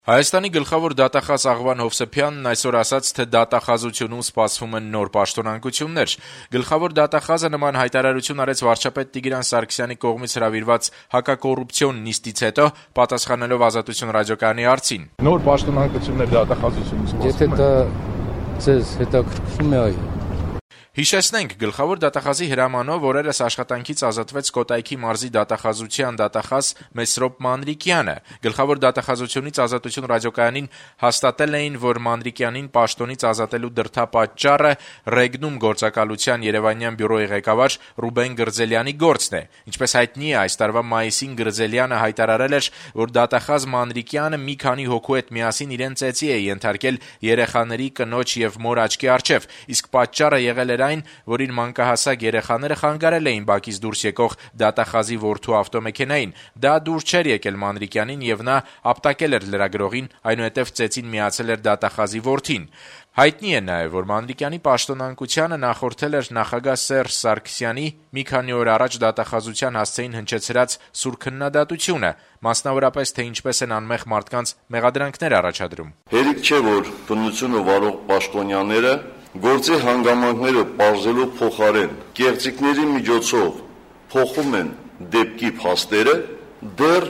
Հայաստանի գլխավոր դատախազ Աղվան Հովսեփյանն այսօր ասաց, թե դատախազությունում սպասվում են նոր պաշտոնանկություններ։ Գլխավոր դատախազը նման հայտարարություն արեց վարչապետ Տիգրան Սարգսյանի կողմից հրավիրված հակակոռուպցիոն նիստից հետո, պատասխանելով Ազատություն ռադիոկայանի հարցին։ Նոր պաշտոնանկություններ դատախազությունում սպասվում են։ Եթե դա ձեզ հետաքրքրում է, այո։ Հիշեցնենք, գլխավոր դատախազի հրամանով օրերս աշխատանքից ազատվեց Կոտայքի մարզի դատախազության դատախազ Մեսրոպ Մանրիկյանը։ Գլխավոր դատախազությունից Ազատություն ռադիոկայանին հաստատել էին, որ Մանրիկյանին պաշտոնից ազատելու դրդապատճառը Ռեգնում գործակալության Երևանյան բյուրոյի ղեկավար Ռուբեն Գրձելյանի գործն է։ Ինչպես հայտնի է, այս տարվա մայիսին Գրձելյանը հայտարարել էր, որ դատախազ Մանրիկյանը մի քանի հոգու հետ միասին իրեն ծեծի է ենթարկել երեխաների, կնոջ եւ մոր աչքի առջեւ, իսկ պատճառը եղել էր այն, որին մանկահասակ երեխաները խանգարել էին բակից դուրս եկող դատախազի որդու ավտոմեքենային։ Դա դուր չէր եկել Մանրիկյանին եւ նա ապտակել էր լրագրողին, այնուհետեւ ծեծին միացել էր դատախազի որդին։ Հայտնի է նաեւ, որ Մանրիկյանի պաշտոնանկությանը նախորդել էր նախագահ Սերժ Սարգսյանի մի քանի օր առաջ դատախազության հասցեին հնչեցրած սուր քննադատությունը, մասնավորապես թե ինչպես են անմեղ մարդկանց մեղադրանքներ առաջադրում։ Հերիք չէ, որ բնությունը վարող պաշտոնյաները գործի հանգամանքները պարզելու փոխարեն կեղծիքների միջոցով փոխում են դեպքի փաստերը, դեռ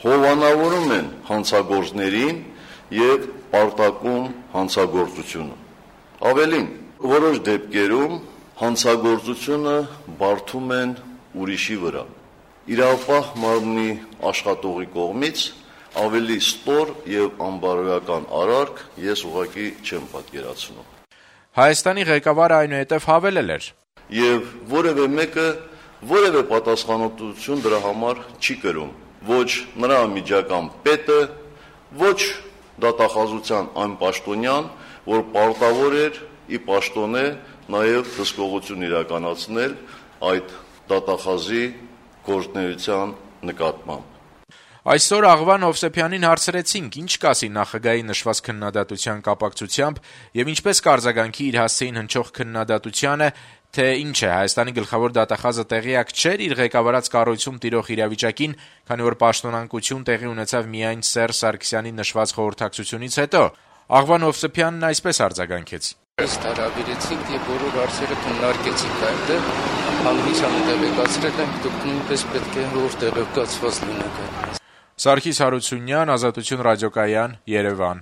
հովանավորում են հանցագործներին եւ պարտակում հանցագործությունը։ Ավելին, որոշ դեպքերում հանցագործությունը բարդում են ուրիշի վրա։ Իրավապահ մարմնի աշխատողի կողմից ավելի ստոր եւ անբարոյական արարք ես ուղղակի չեմ պատկերացնում։ Հայաստանի ղեկավարը այնուհետև հավելել էր. Եվ որևէ մեկը որևէ պատասխանատվություն դրա համար չի կրում, ոչ նրա միջական պետը, ոչ դատախազության այն պաշտոնյան, որ պարտավոր էր ի պաշտոնե նաև հսկողություն իրականացնել այդ դատախազի գործունեության նկատմամբ։ Այսօր Աղվան Հովսեփյանին հարցրեցինք, ինչ կասի նախագահի նշված քննադատության կապակցությամբ եւ ինչպես կարձագանքի իր հասցեին հնչող քննադատությանը, թե ինչ է Հայաստանի գլխավոր դատախազը տեղյակ չէր իր ղեկավարած կառույցում տիրող իրավիճակին, քանի որ պաշտոնանկություն տեղի ունեցավ միայն Սերժ Սարգսյանի նշված խորհրդակցությունից հետո։ Աղվան Հովսեփյանն այսպես արձագանքեց. Ըստ հարաբերեցինք եւ բոլոր հարցերը քննարկեցինք այնտեղ, հանրությանը տեղեկացրել ենք, դուք նույնպես պետք է հոր տեղեկացված լինեք։ Սարգիս Հարությունյան, Ազատություն ռադիոկայան, Երևան։